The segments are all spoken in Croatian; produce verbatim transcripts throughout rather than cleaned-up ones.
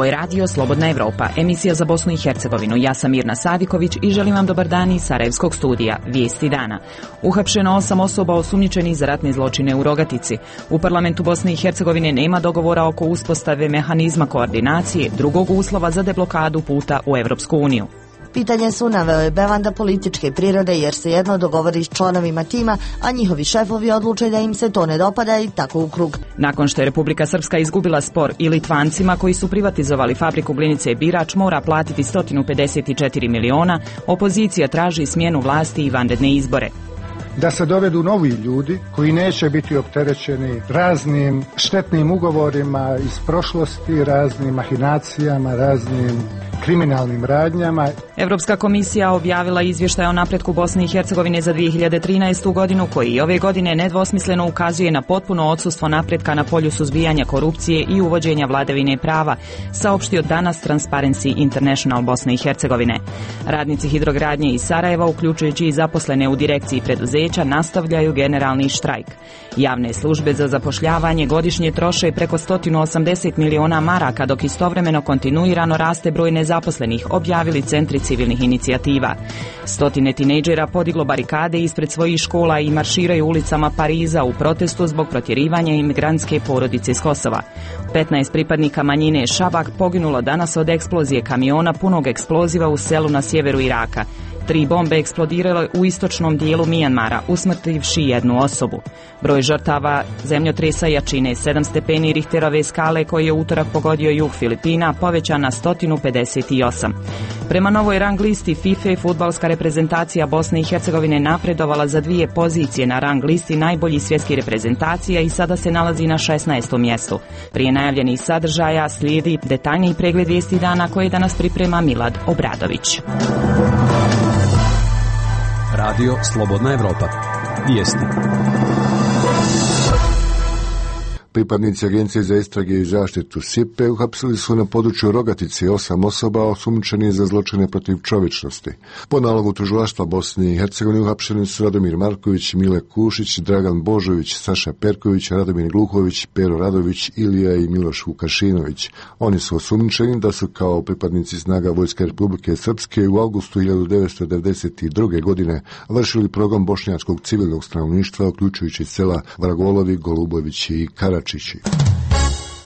Ovo je radio Slobodna Evropa, emisija za Bosnu i Hercegovinu. Ja sam Mirna Sadiković i želim vam dobar dan iz Sarajevskog studija. Vijesti dana. Uhapšeno osam osoba osumnjičenih za ratne zločine u Rogatici. U parlamentu Bosne i Hercegovine nema dogovora oko uspostave mehanizma koordinacije, drugog uslova za deblokadu puta u Evropsku uniju. Pitanje su, naveo je Bevanda, političke prirode jer se jedno dogovori s članovima tima, a njihovi šefovi odluče da im se to ne dopada i tako u krug. Nakon što je Republika Srpska izgubila spor i Litvancima koji su privatizovali fabriku glinice Birač mora platiti sto pedeset četiri miliona, opozicija traži smjenu vlasti i vanredne izbore. Da se dovedu novi ljudi koji neće biti opterećeni raznim štetnim ugovorima iz prošlosti, raznim mahinacijama, raznim kriminalnim radnjama. Evropska komisija objavila izvještaj o napretku Bosne i Hercegovine za dvije hiljade trinaestu. godinu koji i ove godine nedvosmisleno ukazuje na potpuno odsustvo napretka na polju suzbijanja korupcije i uvođenja vladavine prava, saopštio danas Transparency International Bosne i Hercegovine. Radnici hidrogradnje iz Sarajeva, uključujući i zaposlene u direkciji preduzeća, nastavljaju generalni štrajk. Javne službe za zapošljavanje godišnje troše preko sto osamdeset miliona maraka, dok istovremeno kontinuirano raste broj nezaposlenih, objavili centri civilnih inicijativa. Stotine tinejdžera podiglo barikade ispred svojih škola i marširaju ulicama Pariza u protestu zbog protjerivanja imigrantske porodice iz Kosova. petnaest pripadnika manjine Šabak poginulo danas od eksplozije kamiona punog eksploziva u selu na sjeveru Iraka. Tri bombe eksplodirale u istočnom dijelu Mijanmara, usmrtivši jednu osobu. Broj žrtava zemljotresa jačine sedam stepeni Richterove skale koji je utorak pogodio jug Filipina povećan na sto pedeset osam. Prema novoj rang listi FIFA, fudbalska reprezentacija Bosne i Hercegovine napredovala za dvije pozicije na rang listi najboljih svjetskih reprezentacija i sada se nalazi na šesnaestom mjestu. Prije najavljenih sadržaja slijedi detaljniji pregled vijesti dana koje danas priprema Milad Obradović. Radio Slobodna Evropa. Vijesti. Pripadnici Agencije za istrage i zaštitu S I P E uhapsili su na području Rogatice osam osoba osumnjičenih za zločine protiv čovječnosti. Po nalogu tužilaštva Bosne i Hercegovine uhapšeni su Radomir Marković, Mile Kušić, Dragan Božović, Saša Perković, Radomir Gluhović, Pero Radović, Ilija i Miloš Vukašinović. Oni su osumnjičeni da su kao pripadnici snaga Vojske Republike Srpske u avgustu hiljadu devetsto devedeset druge. godine vršili progon bošnjačkog civilnog stanovništva, uključujući sela Vragolovi, Golubovići i Karačići.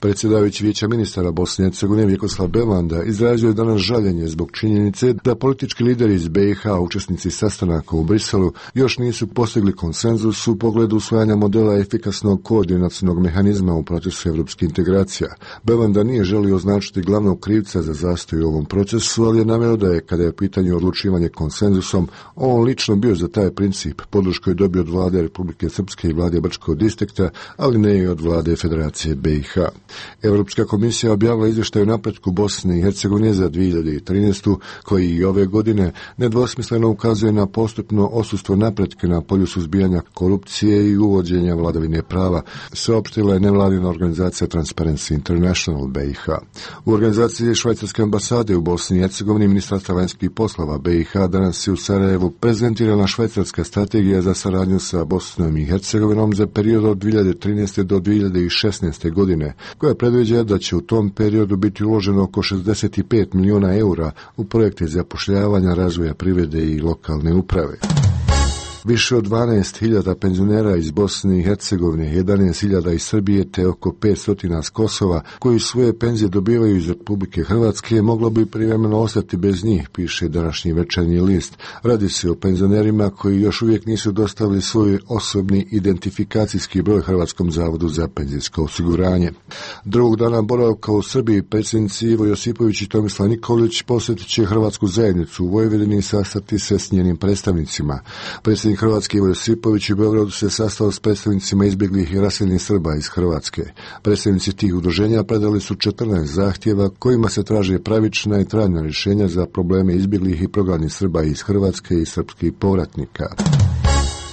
Predsjedavajući Vijeća ministara Bosne i Hercegovine Vjekoslav Bevanda izrazio je danas žaljenje zbog činjenice da politički lideri iz B i H, učesnici sastanaka u Briselu, još nisu postigli konsenzus u pogledu usvajanja modela efikasnog koordinacionog mehanizma u procesu evropskih integracija. Bevanda nije želio označiti glavnog krivca za zastoj u ovom procesu, ali je naveo da je, kada je u pitanju odlučivanje konsenzusom, on lično bio za taj princip. Podršku je dobio od vlade Republike Srpske i vlade Brčkog distrikta, ali ne i od vlade Federacije B i H. Europska komisija objavila izvještaj o napretku Bosne i Hercegovine za dvije hiljade trinaestu. koji i ove godine nedvosmisleno ukazuje na postupno odsustvo napretka na polju suzbijanja korupcije i uvođenja vladavine prava, saopštila je nevladina organizacija Transparency International B i H. U organizaciji Švajcarske ambasade u Bosni i Hercegovini Ministarstva vanjskih poslova B i H danas je u Sarajevu prezentirana švajcarska strategija za saradnju sa Bosnom i Hercegovinom za period od dvije hiljade trinaeste do dvije hiljade šesnaeste. godine, koja predviđa da će u tom periodu biti uloženo oko šezdeset pet miliona eura u projekte zapošljavanja, razvoja privrede i lokalne uprave. Više od dvanaest hiljada penzionera iz Bosne i Hercegovine, jedanaest hiljada iz Srbije te oko petsto s Kosova, koji svoje penzije dobivaju iz Republike Hrvatske, moglo bi privremeno ostati bez njih, piše današnji Večernji list. Radi se o penzionerima koji još uvijek nisu dostavili svoj osobni identifikacijski broj Hrvatskom zavodu za penzijsko osiguranje. Drugog dana boravka u Srbiji predsjednici Ivo Josipović i Tomislav Nikolić posjetit će Hrvatsku zajednicu u Vojvodini i sastati se s njenim predstavnicima. Predsjednik Hrvatske Ivo Josipović u Beogradu se sastao s predstavnicima izbjeglih i raseljenih Srba iz Hrvatske. Predstavnici tih udruženja predali su četrnaest zahtjeva kojima se traže pravična i trajna rješenja za probleme izbjeglih i prognanih Srba iz Hrvatske i srpskih povratnika.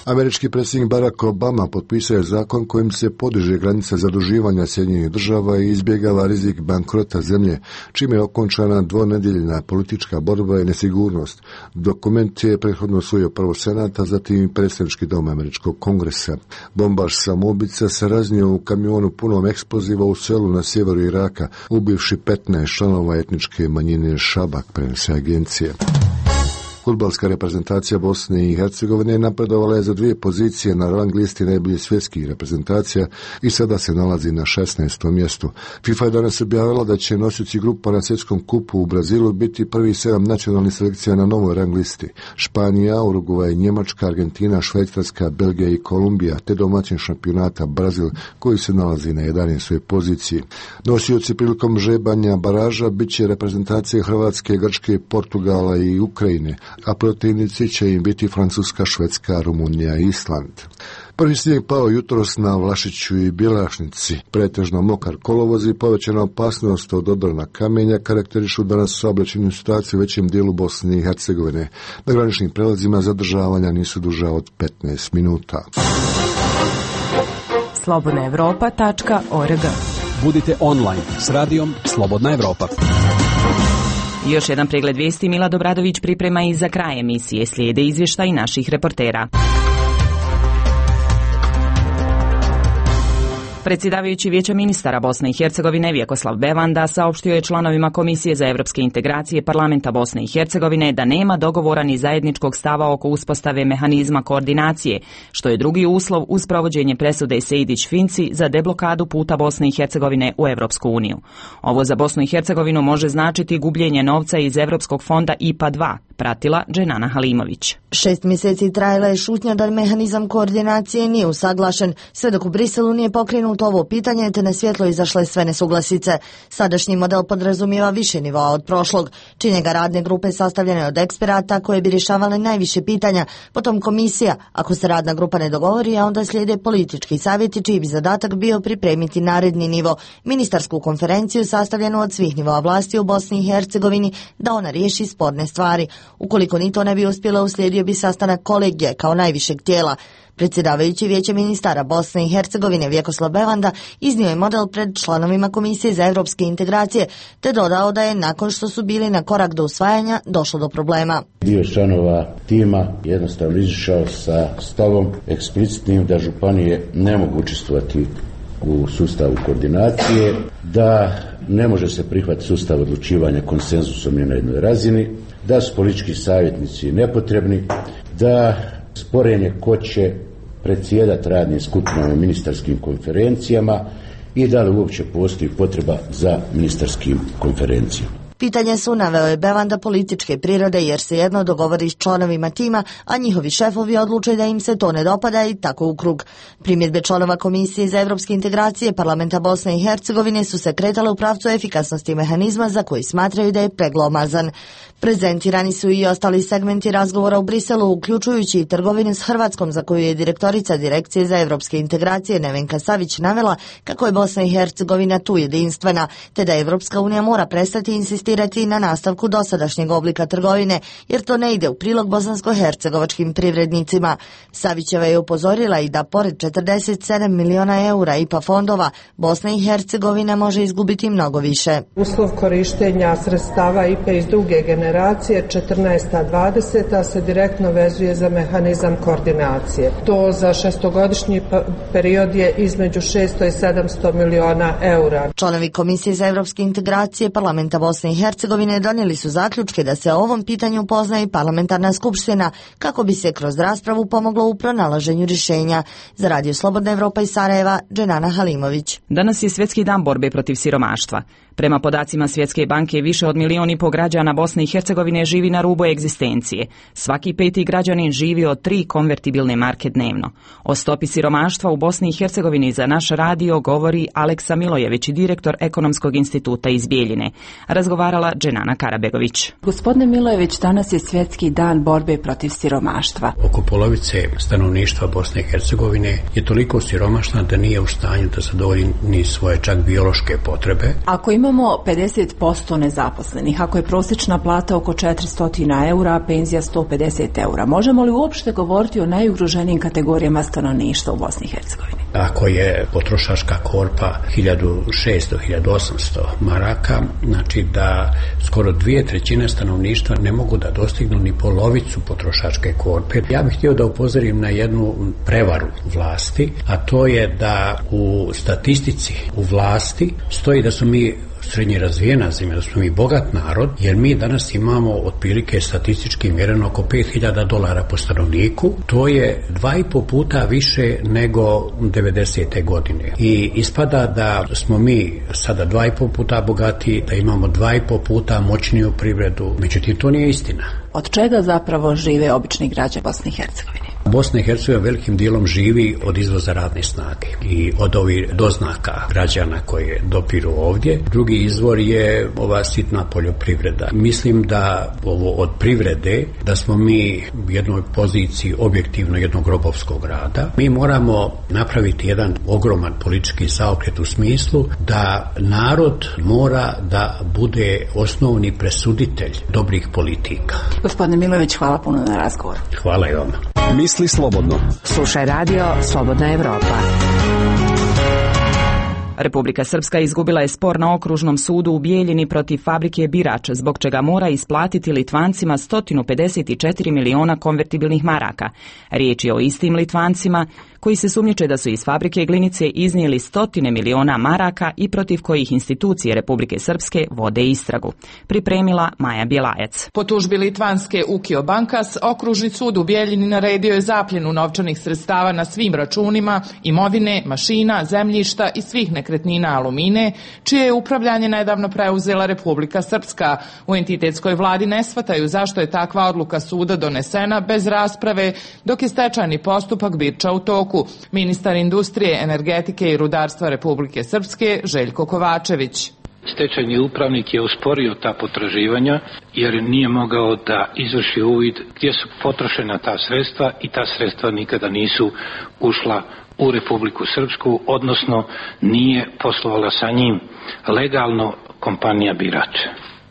Američki predsjednik Barack Obama potpisao je zakon kojim se podiže granica zaduživanja Sjedinjenih država i izbjegava rizik bankrota zemlje, čime je okončana dvonedjeljna politička borba i nesigurnost. Dokument je prethodno usvojio prvo Senat, a zatim i predsjednički dom Američkog kongresa. Bombaš samoubica se raznio u kamionu punom eksploziva u selu na sjeveru Iraka, ubivši petnaest članova etničke manjine Šabak, prenose agencije. Fudbalska reprezentacija Bosne i Hercegovine napredovala je za dvije pozicije na rang listi najboljih svjetskih reprezentacija i sada se nalazi na šesnaestom mjestu. FIFA je danas objavila da će nosioci grupa na svjetskom kupu u Brazilu biti prvi sedam nacionalnih selekcija na novoj rang listi. Španija, Urugvaj, Njemačka, Argentina, Švajcarska, Belgija i Kolumbija, te domaćin šampionata Brazil koji se nalazi na jedanaestoj poziciji. Nosioci prilikom žrebanja baraža bit će reprezentacije Hrvatske, Grčke, Portugala i Ukrajine, a protivnici će im biti Francuska, Švedska, Rumunija i Island. Prvi snijeg pao jutros na Vlašiću i Bjelašnici. Pretežno mokar kolovoz i povećana opasnost od obrana kamenja karakterišu danas saobraćajnu situaciju u većem dijelu Bosne i Hercegovine. Na graničnim prelazima zadržavanja nisu duža od petnaest minuta. slobodna evropa tačka org. Budite online s radijom Slobodna Evropa. Još jedan pregled vijesti Mila Dobradović priprema i za kraj emisije. Slijede izvještaj naših reportera. Predsjedavajući Vijeća ministara Bosne i Hercegovine Vjekoslav Bevanda saopštio je članovima Komisije za evropske integracije Parlamenta Bosne i Hercegovine da nema dogovora ni zajedničkog stava oko uspostave mehanizma koordinacije, što je drugi uslov uz provođenje presude Sejdić-Finci za deblokadu puta Bosne i Hercegovine u Evropsku uniju. Ovo za Bosnu i Hercegovinu može značiti gubljenje novca iz Evropskog fonda I P A dva, pratila Dženana Halimović. Šest mjeseci trajala je šutnja da mehanizam koordinacije nije usaglašen, sve dok u Briselu nije pokrenuto ovo pitanje, te na svjetlo izašle sve nesuglasice. Sadašnji model podrazumijeva više nivoa od prošlog. Čine ga radne grupe sastavljene od eksperata koje bi rješavale najviše pitanja, potom komisija, ako se radna grupa ne dogovori, a onda slijede politički savjeti čiji bi zadatak bio pripremiti naredni nivo, ministarsku konferenciju sastavljenu od svih nivoa vlasti u Bosni i Hercegovini, da ona riješi sporne stvari. Ukoliko ni to ne bi uspjelo, uslijedio bi sastanak kolegije kao najvišeg tijela. Predsjedavajući Vijeće ministara Bosne i Hercegovine Vjekoslav Bevanda iznio je model pred članovima Komisije za evropske integracije, te dodao da je nakon što su bili na korak do usvajanja došlo do problema. Dio članova tima jednostavno izišao sa stavom eksplicitnim da županije ne mogu učestvovati u sustavu koordinacije, da ne može se prihvatiti sustav odlučivanja konsenzusom ni na jednoj razini, da su politički savjetnici nepotrebni, da sporenje ko će predsjedati radnim skupinama ministarskim konferencijama i da li uopće postoji potreba za ministarskim konferencijama. Pitanje su, naveo je Bevanda, političke prirode jer se jedno dogovori s članovima tima, a njihovi šefovi odluče da im se to ne dopada i tako u krug. Primjedbe članova Komisije za evropske integracije Parlamenta Bosne i Hercegovine su se kretale u pravcu efikasnosti mehanizma za koji smatraju da je preglomazan. Prezentirani su i ostali segmenti razgovora u Briselu, uključujući i trgovinu s Hrvatskom, za koju je direktorica Direkcije za evropske integracije Nevenka Savić navela kako je Bosna i Hercegovina tu jedinstvena, te da Evropska unija mora prestati insistirati na nastavku dosadašnjeg oblika trgovine, jer to ne ide u prilog bosansko-hercegovačkim privrednicima. Savićeva je upozorila i da pored četrdeset sedam miliona eura I P A fondova, Bosna i Hercegovina može izgubiti mnogo više. Uslov korištenja sredstava I P A iz druge generacije četrnaesta dvadeseta se direktno vezuje za mehanizam koordinacije. To za šestogodišnji period je između šesto i sedamsto miliona eura. Članovi Komisije za evropske integracije Parlamenta Bosne i Hercegovine donijeli su zaključke da se o ovom pitanju pozna i parlamentarna skupština, kako bi se kroz raspravu pomoglo u pronalaženju rješenja. Za Radio Slobodna Evropa iz Sarajeva, Dženana Halimović. Danas je Svjetski dan borbe protiv siromaštva. Prema podacima Svjetske banke, više od milijun i po građana Bosne i Hercegovine živi na rubu egzistencije. Svaki peti građanin živi od tri konvertibilne marke dnevno. O stopi siromaštva u Bosni i Hercegovini za naš radio govori Aleksa Milojević, direktor Ekonomskog instituta iz Bijeljine. Razgovarali razgovarala Dženana Karabegović. Gospodine Milojević, danas je svjetski dan borbe protiv siromaštva. Oko polovice stanovništva Bosne i Hercegovine je toliko siromašna da nije u stanju da zadovolji ni svoje čak biološke potrebe. Ako imamo pedeset posto nezaposlenih, ako je prosječna plata oko četiristo eura, a penzija sto pedeset eura, možemo li uopšte govoriti o najugroženijim kategorijama stanovništva u Bosni i Hercegovini? Ako je potrošačka korpa hiljadu šesto do hiljadu osamsto maraka, znači da skoro dvije trećine stanovništva ne mogu da dostignu ni polovicu potrošačke korpe. Ja bih htio da upozorim na jednu prevaru vlasti, a to je da u statistici u vlasti stoji da su mi srednje razvijena zemlja, da smo mi bogat narod, jer mi danas imamo otprilike statistički mjereno oko pet hiljada dolara po stanovniku. To je dva i po puta više nego devedesete godine. I ispada da smo mi sada dva i po puta bogatiji, da imamo dva i po puta moćniju privredu. Međutim, to nije istina. Od čega zapravo žive obični građani Bosne i Hercegovine? Bosna i Hercegovina velikim dijelom živi od izvoza radne snage i od ovih doznaka građana koje dopiru ovdje. Drugi izvor je ova sitna poljoprivreda. Mislim da ovo od privrede, da smo mi u jednoj poziciji objektivno jednog robovskog rada. Mi moramo napraviti jedan ogroman politički zaokret u smislu da narod mora da bude osnovni presuditelj dobrih politika. Gospodine Milojević, hvala puno na razgovor. Hvala i vama. Misli slobodno. Slušaj radio Slobodna Evropa. Republika Srpska izgubila je spor na okružnom sudu u Bijeljini protiv fabrike Birač, zbog čega mora isplatiti Litvancima sto pedeset četiri miliona konvertibilnih maraka. Riječ je o istim Litvancima koji se sumnjiče da su iz fabrike Glinice iznijeli stotine miliona maraka i protiv kojih institucije Republike Srpske vode istragu. Pripremila Maja Bjelajac. Po tužbi litvanske Ukio Bankas, okružni sud u Bijeljini naredio je zapljenu novčanih sredstava na svim računima, imovine, mašina, zemljišta i svih nekretnina Alumine, čije je upravljanje nedavno preuzela Republika Srpska. U entitetskoj vladi ne shvataju zašto je takva odluka suda donesena bez rasprave, dok je stečajni postupak Birča u toku. Ministar industrije, energetike i rudarstva Republike Srpske Željko Kovačević. Stečajni upravnik je osporio ta potraživanja jer nije mogao da izvrši uvid gdje su potrošena ta sredstva i ta sredstva nikada nisu ušla u Republiku Srpsku, odnosno nije poslovala sa njim legalno kompanija Birač,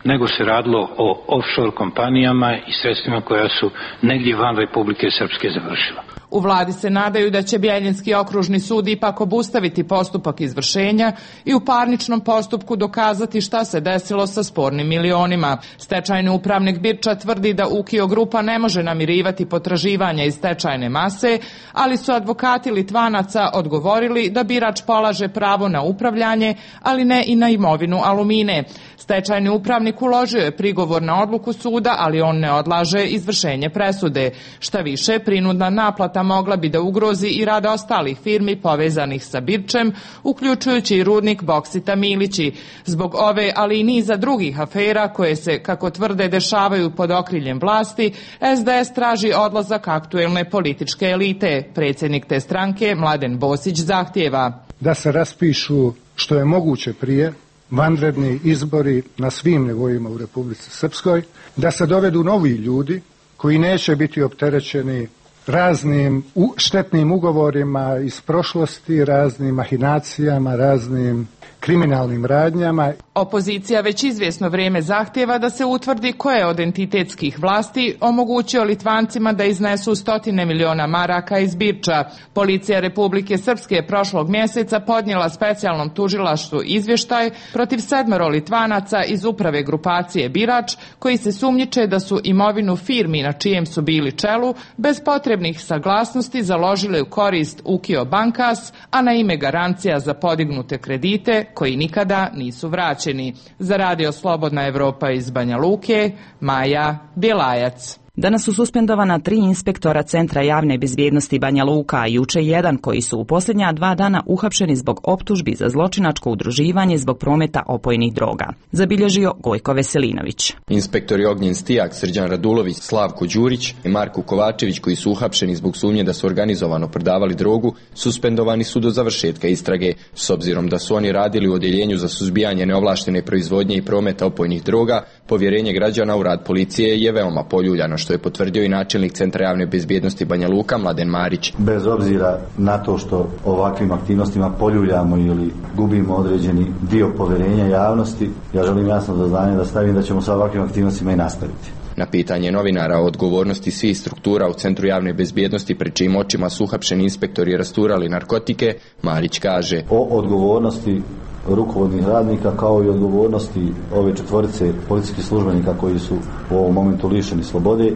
nego se radilo o offshore kompanijama i sredstvima koja su negdje van Republike Srpske završila. U vladi se nadaju da će Bijeljinski okružni sud ipak obustaviti postupak izvršenja i u parničnom postupku dokazati šta se desilo sa spornim milionima. Stečajni upravnik Birča tvrdi da Ukio grupa ne može namirivati potraživanja iz stečajne mase, ali su advokati Litvanaca odgovorili da Birač polaže pravo na upravljanje, ali ne i na imovinu Alumine. Stečajni upravnik uložio je prigovor na odluku suda, ali on ne odlaže izvršenje presude. Šta više, prinudna naplata mogla bi da ugrozi i rad ostalih firmi povezanih sa Birčem, uključujući i rudnik Boksita Milići. Zbog ove, ali i niza drugih afera koje se, kako tvrde, dešavaju pod okriljem vlasti, es de es traži odlazak aktuelne političke elite. Predsjednik te stranke, Mladen Bosić, zahtijeva da se raspišu što je moguće prije vanredni izbori na svim nivoima u Republici Srpskoj, da se dovedu novi ljudi koji neće biti opterećeni raznim štetnim ugovorima iz prošlosti, raznim mahinacijama, raznim kriminalnim radnjama. Opozicija već izvjesno vrijeme zahtjeva da se utvrdi ko je od entitetskih vlasti omogućio Litvancima da iznesu stotine miliona maraka iz Birča. Policija Republike Srpske je prošlog mjeseca podnijela specijalnom tužilaštvu izvještaj protiv sedmero Litvanaca iz uprave grupacije Birač, koji se sumnjiče da su imovinu firmi na čijem su bili čelu bez potrebnih saglasnosti založile u korist Ukio Bankas, a na ime garancija za podignute kredite koji nikada nisu vraćeni. Za radio Slobodna Evropa iz Banja Luke, Maja Bjelajac. Danas su suspendovana tri inspektora Centra javne bezbjednosti Banja Luka, a juče jedan koji su u posljednja dva dana uhapšeni zbog optužbi za zločinačko udruživanje zbog prometa opojnih droga. Zabilježio Gojko Veselinović. Inspektori Ognjen Stijak, Srđan Radulović, Slavko Đurić i Marko Kovačević, koji su uhapšeni zbog sumnje da su organizovano prodavali drogu, suspendovani su do završetka istrage. S obzirom da su oni radili u odjeljenju za suzbijanje neovlaštene proizvodnje i prometa opojnih droga, povjerenje građana u rad policije je veoma poljuljano, što je potvrdio i načelnik Centra javne bezbjednosti Banja Luka Mladen Marić. Bez obzira na to što ovakvim aktivnostima poljuljamo ili gubimo određeni dio povjerenja javnosti, ja želim jasno do znanja da stavim da ćemo sa ovakvim aktivnostima i nastaviti. Na pitanje novinara o odgovornosti svih struktura u Centru javne bezbjednosti pred čijim očima su uhapšeni inspektori rasturali narkotike, Marić kaže: O odgovornosti rukovodnih radnika kao i odgovornosti ove četvorice policijskih službenika koji su u ovom momentu lišeni slobode, e,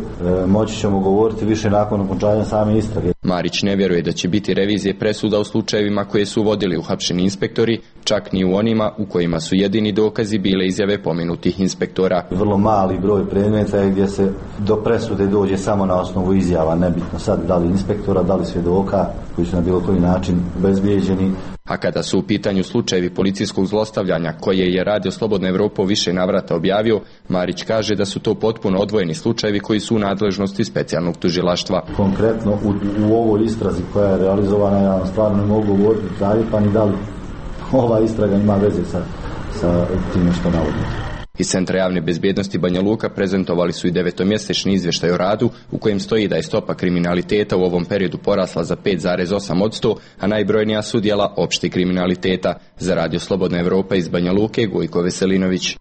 moći ćemo govoriti više nakon okončanja same istrage. Marić ne vjeruje da će biti revizije presuda u slučajevima koje su vodili uhapšeni inspektori, čak ni u onima u kojima su jedini dokazi bile izjave pomenutih inspektora. Vrlo mali broj predmeta je gdje se do presude dođe samo na osnovu izjava, nebitno sad da li inspektora, da li svjedoka koji su na bilo koji način obezbijeđeni. A kada su u pitanju slučajevi policijskog zlostavljanja koje je Radio Slobodna Evropa u više navrata objavio, Marić kaže da su to potpuno odvojeni slučajevi koji su u nadležnosti specijalnog tužilaštva. Konkretno u, u ovoj istrazi koja je realizovana, ja vam stvarno ne mogu govoriti dalje, pa ni da li ova istraga ima veze sa, sa time što navodite. Iz Centra javne bezbjednosti Banja Luka prezentovali su i devetomjesečni izvještaj o radu u kojem stoji da je stopa kriminaliteta u ovom periodu porasla za pet zarez osam posto, a najbrojnija su djela opšteg kriminaliteta. Za Radio Slobodna Evropa iz Banja Luke, Gojko Veselinović.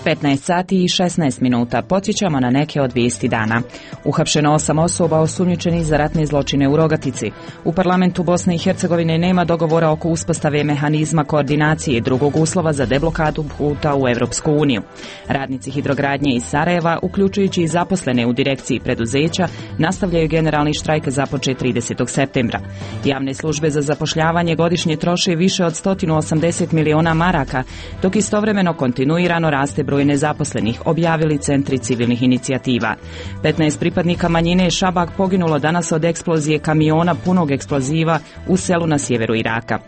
petnaest sati i šesnaest minuta. Podsjećamo na neke od vijesti dana. Uhapšeno osam osoba osumnjičenih za ratne zločine u Rogatici. U parlamentu Bosne i Hercegovine nema dogovora oko uspostave mehanizma koordinacije i drugog uslova za deblokadu puta u Evropsku uniju. Radnici hidrogradnje iz Sarajeva, uključujući i zaposlene u direkciji preduzeća, nastavljaju generalni štrajk započet tridesetog septembra. Javne službe za zapošljavanje godišnje troše više od sto osamdeset miliona maraka, dok istovremeno kontinuirano raste broj nezaposlenih, objavili centri civilnih inicijativa. petnaest pripadnika manjine Šabak poginulo danas od eksplozije kamiona punog eksploziva u selu na sjeveru Iraka.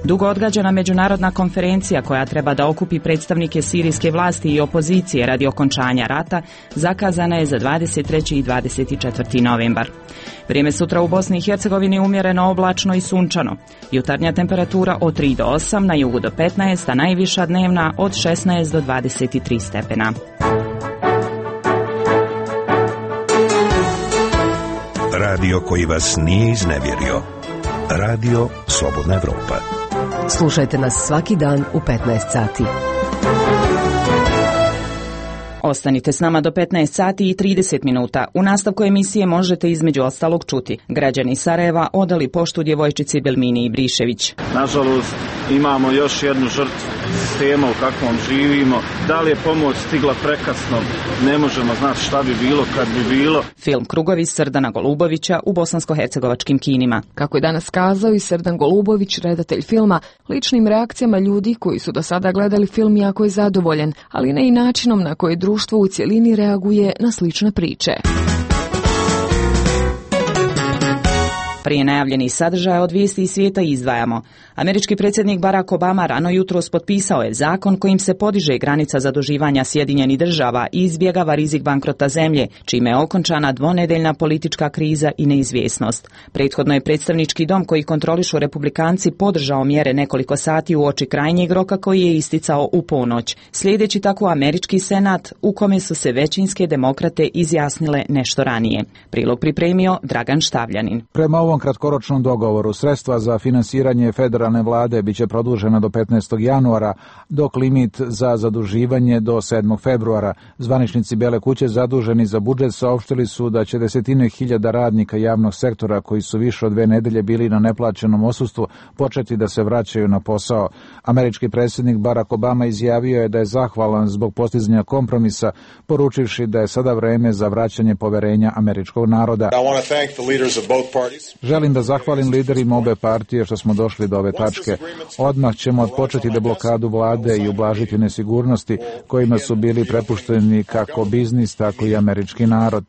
Dugo odgađana međunarodna konferencija koja treba da okupi predstavnike sirijske vlasti i opozicije radi okončanja rata zakazana je za dvadeset treći i dvadeset četvrti novembar. Vrijeme sutra u Bosni i Hercegovini umjereno oblačno i sunčano. Jutarnja temperatura od tri do osam, na jugu do petnaest, a najviša dnevna od šesnaest do dvadeset tri stepena. Radio koji vas nije iznevjerio. Radio Slobodna Evropa. Slušajte nas svaki dan u petnaest sati. Ostanite s nama do petnaest sati i trideset minuta. U nastavku emisije možete između ostalog čuti: građani Sarajeva odali poštu djevojčici Belmini Ibrišević. Nažalost, imamo još jednu žrtvu sistema u kakvom živimo. Da li je pomoć stigla prekasno, ne možemo znati šta bi bilo kad bi bilo. Film Krugovi Srdana Golubovića u bosansko-hercegovačkim kinima. Kako je danas kazao i Srdan Golubović, redatelj filma, ličnim reakcijama ljudi koji su do sada gledali film jako je zadovoljen, ali ne i načinom na koji društvo u cjelini reaguje na slične priče. Prije najavljenih sadržaja od vijesti iz svijeta izdvajamo. Američki predsjednik Barack Obama rano jutros potpisao je zakon kojim se podiže granica zaduživanja Sjedinjenih država i izbjegava rizik bankrota zemlje, čime je okončana dvonedeljna politička kriza i neizvjesnost. Prethodno je predstavnički dom koji kontrolišu republikanci podržao mjere nekoliko sati uoči krajnjeg roka koji je isticao u ponoć. Sljedeći tako američki senat u kome su se većinske demokrate izjasnile nešto ranije. Prilog pripremio Dragan Štavljanin. Prema ovom kratkoročnom dogovoru sredstva za finansiranje federalne vlade biće produžena do petnaestog januara, dok limit za zaduživanje do sedmog februara. Zvaničnici Bele kuće zaduženi za budžet saopštili su da će desetine hiljada radnika javnog sektora koji su više od dve nedelje bili na neplaćenom odsustvu početi da se vraćaju na posao. Američki predsjednik Barack Obama izjavio je da je zahvalan zbog postizanja kompromisa, poručivši da je sada vreme za vraćanje poverenja američkog naroda. I want to thank the leaders of both parties. Želim da zahvalim liderima obe partije što smo došli do ove tačke. Odmah ćemo odpočeti deblokadu vlade i ublažiti nesigurnosti kojima su bili prepušteni kako biznis, tako i američki narod.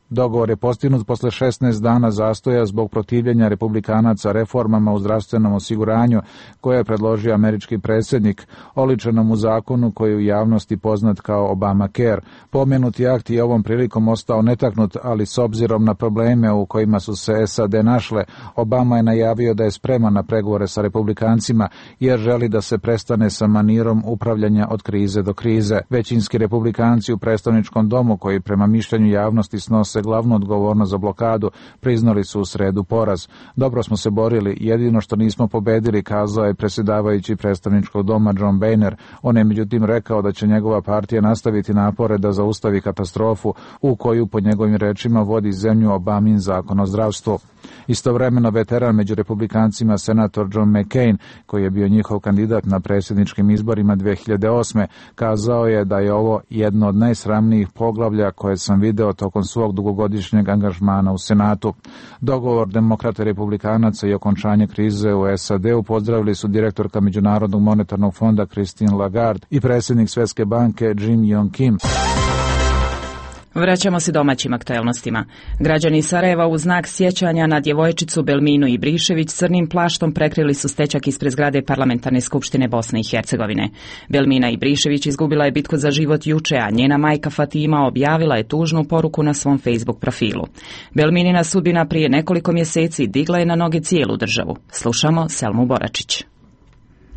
Dogovor je postignut posle šesnaest dana zastoja zbog protivljenja republikanaca reformama u zdravstvenom osiguranju koje je predložio američki predsjednik, oličenom u zakonu koji je u javnosti poznat kao Obamacare. Pomenuti akt je ovom prilikom ostao netaknut, ali s obzirom na probleme u kojima su se S A D našle, Obama je najavio da je spreman na pregovore sa republikancima jer želi da se prestane sa manirom upravljanja od krize do krize. Većinski republikanci u predstavničkom domu, koji prema mišljenju javnosti snose glavnu odgovornost za blokadu, priznali su u sredu poraz. Dobro smo se borili, jedino što nismo pobedili, kazao je predsjedavajući predstavničkog doma John Boehner. On je međutim rekao da će njegova partija nastaviti napore da zaustavi katastrofu u koju po njegovim rečima vodi zemlju Obamin zakon o zdravstvu. Istovremeno veteran među republikancima senator John McCain, koji je bio njihov kandidat na predsjedničkim izborima dve hiljade osme, kazao je da je ovo jedno od najsramnijih poglavlja koje sam video tokom svog dugogodišnjeg angažmana u Senatu. Dogovor demokrata i republikanaca i okončanje krize u S A D-u pozdravili su direktorka Međunarodnog monetarnog fonda Christine Lagarde i predsjednik Svjetske banke Jim Yong Kim. Vraćamo se domaćim aktuelnostima. Građani Sarajeva u znak sjećanja na djevojčicu Belminu Ibrišević crnim plaštom prekrili su stečak ispred zgrade Parlamentarne skupštine Bosne i Hercegovine. Belmina Ibrišević izgubila je bitku za život juče, a njena majka Fatima objavila je tužnu poruku na svom Facebook profilu. Belminina sudbina prije nekoliko mjeseci digla je na noge cijelu državu. Slušamo Selmu Boračić.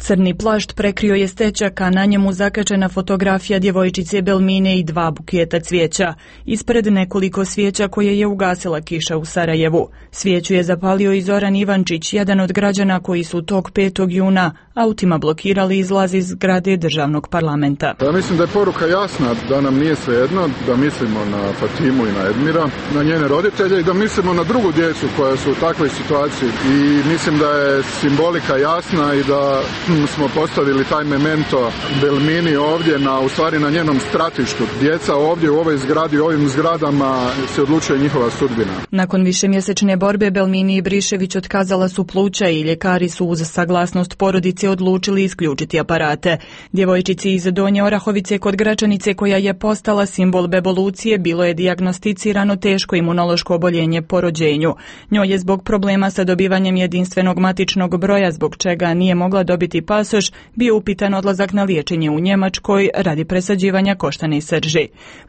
Crni plašt prekrio je stečak, a na njemu zakačena fotografija djevojčice Belmine i dva buketa cvijeća. Ispred nekoliko svijeća koje je ugasila kiša u Sarajevu. Svijeću je zapalio i Zoran Ivančić, jedan od građana koji su tog petog juna autima blokirali izlaz iz zgrade državnog parlamenta. Ja mislim da je poruka jasna, da nam nije svejedno, da mislimo na Fatimu i na Edmira, na njene roditelje i da mislimo na drugu djecu koja su u takvoj situaciji. I mislim da je simbolika jasna i da smo postavili taj memento Belmini ovdje, na, u stvari na njenom stratištu. Djeca ovdje u ovoj zgradi, u ovim zgradama se odlučuje njihova sudbina. Nakon višemjesečne borbe Belmini Ibrišević otkazala su pluća i ljekari su uz saglasnost porodice odlučili isključiti aparate. Djevojčici iz Donje Orahovice kod Gračanice, koja je postala simbol bevolucije, bilo je dijagnosticirano teško imunološko oboljenje po rođenju. Njoj je zbog problema sa dobivanjem jedinstvenog matičnog broja, zbog čega nije mogla dobiti pasoš, bio upitan odlazak na liječenje u Njemačkoj radi presađivanja koštane srži.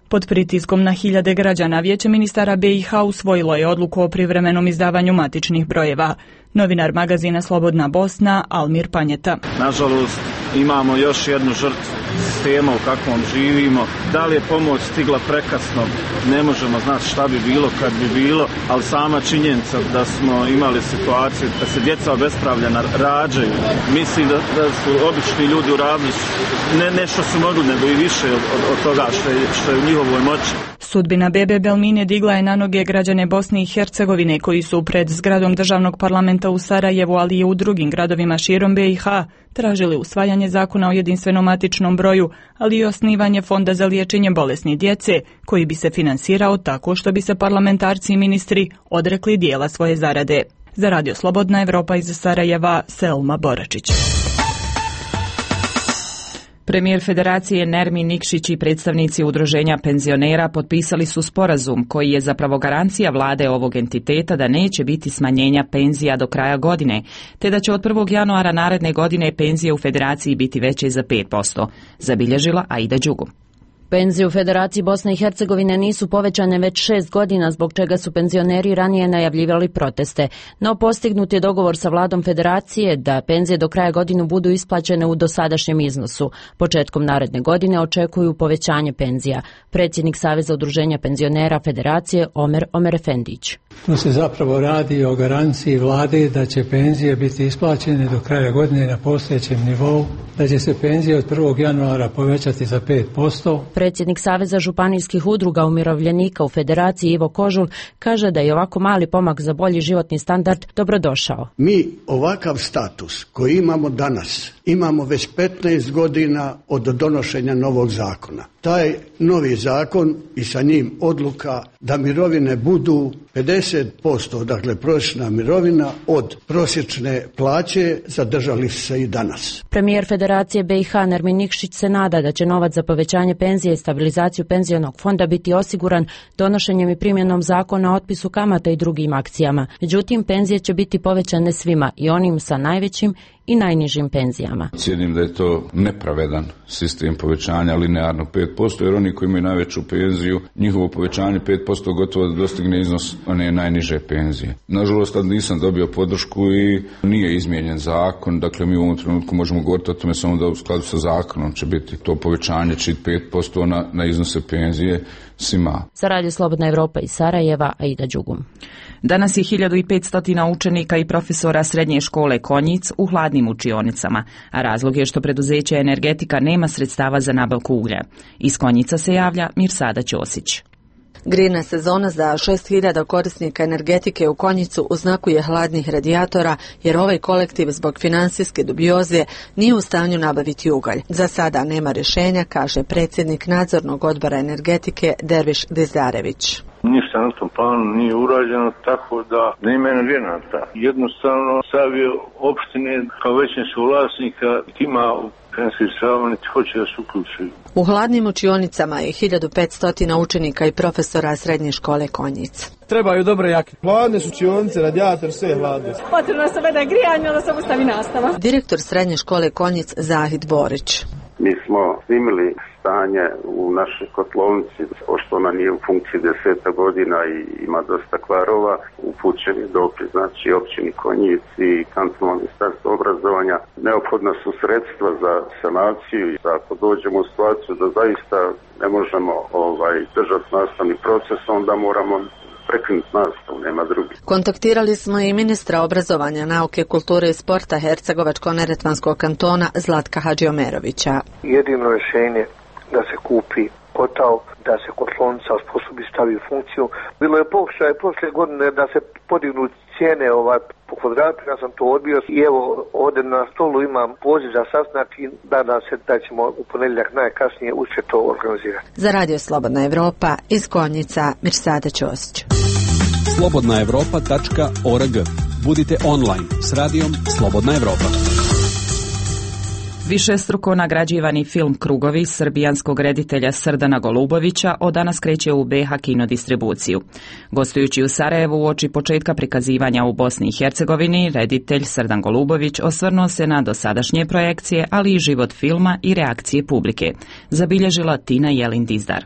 Pod pritiskom na hiljade građana Vijeće ministara B i H usvojilo je odluku o privremenom izdavanju matičnih brojeva. Novinar magazina Slobodna Bosna Almir Panjeta. Nažalost, imamo još jednu žrtvu sistema u kakvom živimo. Da li je pomoć stigla prekasno, ne možemo znati šta bi bilo kad bi bilo, ali sama činjenica da smo imali situaciju da se djeca obespravljena rađaju. Mislim da, da su obični ljudi uradili ne, ne što su mogli, nego i više od, od toga što je, što je u njihovoj moći. Sudbina bebe Belmine digla je na noge građane Bosne i Hercegovine koji su pred zgradom državnog parlamenta u Sarajevu, ali i u drugim gradovima širom B i H tražili usvajanje zakona o jedinstvenom matičnom broju, ali i osnivanje fonda za liječenje bolesnih djece, koji bi se finansirao tako što bi se parlamentarci i ministri odrekli dijela svoje zarade. Za Radio Slobodna Evropa iz Sarajeva, Selma Boračić. Premijer Federacije Nermin Nikšić i predstavnici udruženja penzionera potpisali su sporazum koji je zapravo garancija vlade ovog entiteta da neće biti smanjenja penzija do kraja godine, te da će od prvog januara naredne godine penzije u Federaciji biti veće za pet posto, zabilježila Aida Đugu. Penzije u Federaciji Bosne i Hercegovine nisu povećane već šest godina, zbog čega su penzioneri ranije najavljivali proteste. No postignut je dogovor sa vladom Federacije da penzije do kraja godine budu isplaćene u dosadašnjem iznosu. Početkom naredne godine očekuju povećanje penzija. Predsjednik Saveza udruženja penzionera Federacije Omer Omerefendić. Tu se zapravo radi o garanciji vlade da će penzije biti isplaćene do kraja godine na postojećem nivou, da će se penzije od prvog januara povećati za pet posto. Predsjednik Saveza županijskih udruga umirovljenika u Federaciji Ivo Kožul kaže da je ovako mali pomak za bolji životni standard dobrodošao. Mi ovakav status koji imamo danas imamo već petnaest godina od donošenja novog zakona. taj novi zakon i sa njim odluka da mirovine budu pedeset posto, dakle prosječna mirovina od prosječne plaće, zadržali se i danas. Premijer Federacije B i H Nermin Nikšić se nada da će novac za povećanje penzije i stabilizaciju penzionog fonda biti osiguran donošenjem i primjenom zakona o otpisu kamata i drugim akcijama. Međutim, penzije će biti povećane svima, i onim sa najvećim i najnižim penzijama. Cijenim da je to nepravedan sistem povećanja linearno pet posto, jer oni koji imaju najveću penziju, njihovo povećanje pet posto gotovo da dostigne iznos one najniže penzije. Nažalost, tad nisam dobio podršku i nije izmijenjen zakon, dakle mi u ovom trenutku možemo govoriti o tome samo da u skladu sa zakonom će biti to povećanje čit pet posto na, na iznose penzije svima. Za Radio Slobodna Evropa iz Sarajeva, Aida Đugum. Danas je hiljadu petsto učenika i profesora srednje škole Konjic u hladnim učionicama, a razlog je što preduzeće Energetika nema sredstava za nabavku uglja. Iz Konjica se javlja Mirsada Ćosić. Grejna sezona za šest hiljada korisnika energetike u Konjicu u znaku je hladnih radijatora, jer ovaj kolektiv zbog finansijske dubioze nije u stanju nabaviti ugalj. Za sada nema rješenja, kaže predsjednik nadzornog odbora energetike Derviš Dizdarević. Ništa na tom planu nije urađeno, tako da nema energenata. Jednostavno savio opštine kao većinskog vlasnika ima financijskih sredstava niti hoće da se uključuju. U hladnim učionicama je hiljadu petsto učenika i profesora srednje škole Konjic. Trebaju dobre jake. Hladne su učionice, radijator, sve je hladno. Potrebno se veda grijanje, onda se obustavi nastava. Direktor srednje škole Konjic Zahid Borić. Mi smo snimili stanje u našoj kotlovnici, pošto ona nije u funkciji deseta godina i ima dosta kvarova. Upućen je dopis, znači općini Konjic i kantonalno ministarstvo obrazovanja. Neophodna su sredstva za sanaciju i ako dođemo u situaciju da zaista ne možemo ovaj, držati nastavni proces, onda moramo prekinuti nastavu, nema drugi. Kontaktirali smo i ministra obrazovanja, nauke, kulture i sporta Hercegovačko-neretvanskog kantona Zlatka Hadžiomerovića. Jedino rješenje da se kupi kotao, da se kotlovnica osposobi stavi u funkciju. Bilo je pokušaj prošle godine da se podignu cijene ovaj, po kvadratu, ja sam to odbio i evo ovdje na stolu imam poziv za sastanak i nadam se da ćemo u ponedjeljak najkasnije uspjeti to organizirati. Za Radio Slobodna Evropa iz Konjica, Mirsada Ćosić. slobodna evropa tačka org. Budite online s radijom Slobodna Evropa. Višestruko nagrađivani film Krugovi srbijanskog reditelja Srdana Golubovića od danas kreće u B H kino distribuciju. Gostujući u Sarajevu uoči početka prikazivanja u Bosni i Hercegovini, reditelj Srdan Golubović osvrnuo se na dosadašnje projekcije, ali i život filma i reakcije publike, zabilježila Tina Jelin Dizdar.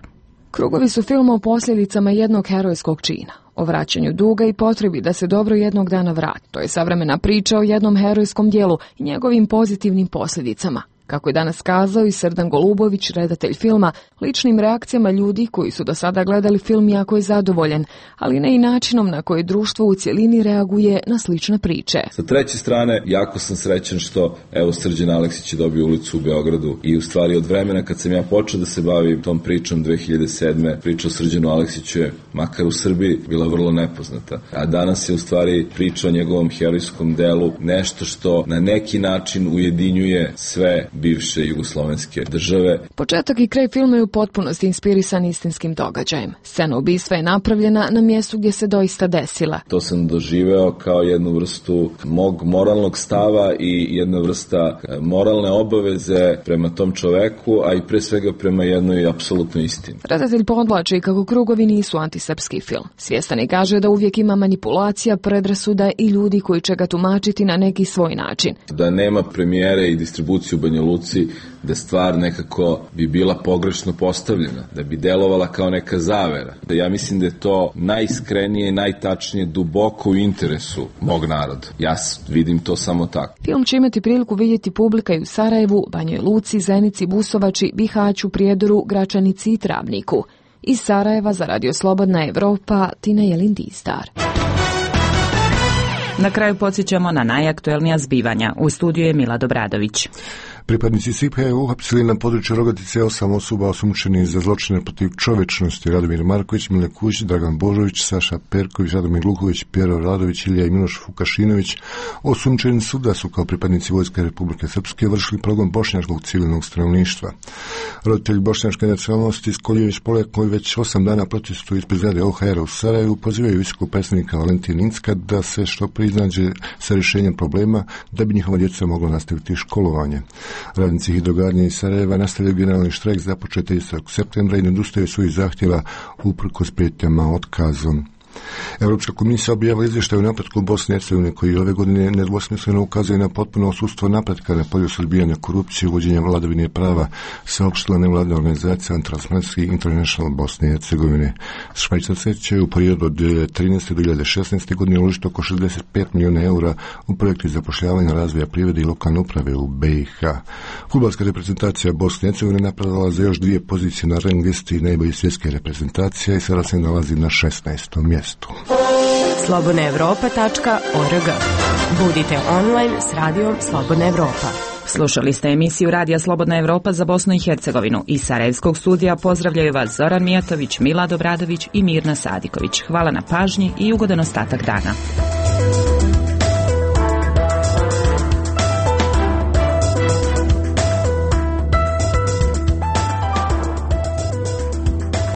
Krugovi su film o posljedicama jednog herojskog čina, o vraćanju duga i potrebi da se dobro jednog dana vrati. To je savremena priča o jednom herojskom dijelu i njegovim pozitivnim posljedicama. Kako je danas kazao i Srdan Golubović, redatelj filma, ličnim reakcijama ljudi koji su do sada gledali film jako je zadovoljen, ali ne i načinom na koji društvo u cjelini reaguje na slične priče. Sa treće strane, jako sam srećan što evo Srđan Aleksić je dobio ulicu u Beogradu i u stvari od vremena kad sam ja počeo da se bavim tom pričom dve hiljade sedme. Priča o Srđanu Aleksiću je, makar u Srbiji, bila vrlo nepoznata. A danas je u stvari priča o njegovom herojskom delu nešto što na neki način ujedinjuje sve bivše jugoslovenske države. Početak i kraj filma je u potpunosti inspirisan istinskim događajem. Scena ubistva je napravljena na mjestu gdje se doista desila. To sam doživeo kao jednu vrstu mog moralnog stava i jedna vrsta moralne obaveze prema tom čoveku, a i pre svega prema jednoj apsolutnoj istini. Redatelj podvlači kako Krugovi nisu antisrpski film. Svjestan i kaže da uvijek ima manipulacija, predrasuda i ljudi koji će ga tumačiti na neki svoj način. Da nema premijere i distribuciju u Banja Luci, da stvar nekako bi bila pogrešno postavljena, da bi delovala kao neka zavera. Da ja mislim da je to najiskrenije i najtačnije duboko u interesu mog naroda. Ja vidim to samo tako. Film će imati priliku vidjeti publika i u Sarajevu, Banjoj Luci, Zenici, Busovači, Bihaću, Prijedoru, Gračanici i Travniku. Iz Sarajeva za Radio Slobodna Evropa, Tina Jelin Dizdar. Na kraju podsjećamo na najaktuelnija zbivanja. U studiju je Mila Dobradović. Pripadnici S I P-a uhapsili na području Rogatice osam osoba osumnjičenih za zločine protiv čovečnosti: Radomir Marković, Mile Kuć, Dragan Božović, Saša Perković, Radomir Luković, Pjero Radović, Ilija i Miloš Vukašinović. Osumnjičeni su da su kao pripadnici Vojske Republike Srpske vršili progon bošnjačkog civilnog stanovništva. Roditelji bošnjačke nacionalnosti Skoljević Poljak, koji već osam dana protestuju ispred zgrade O H R-a u Sarajevu, pozivaju visokog predstavnika Valentina Incka da se što prije iznađe sa rješenjem problema da bi njihova djeca mogla nastaviti školovanje. Radnici hidrogradnje iz Sarajeva nastavljaju generalni štrajk započet tridesetog septembra i ne odustaju svojih zahtjeva uprkos prijetnjama otkazom. Europska komisija objavila izvještaj o napretku Bosne i Hercegovine koji ove godine nedvosmisleno ukazuje na potpuno odsustvo napretka na polju suzbijanja korupcije i uvođenja vladavine prava, saopštila nevladina organizacija Transparency International Bosne i Hercegovine. Švajcarci će u periodu od dvije hiljade trinaeste do dvije hiljade šesnaeste godine uložiti oko šezdeset pet milijuna eura u projekti zapošljavanja, razvoja privrede i lokalne uprave u B i H. Fudbalska reprezentacija Bosne i Hercegovine napredala za još dvije pozicije na rang listi najboljih svjetske reprezentacije i sada se nalazi na šesnaestom mjestu. slobodna evropa tačka org. Budite online s radijom Slobodna Evropa. Slušali ste emisiju Radija Slobodna Evropa za Bosnu i Hercegovinu. Iz Sarajevskog studija pozdravljaju vas Zoran Mijatović, Milad Obradović i Mirna Sadiković. Hvala na pažnji i ugodan ostatak dana.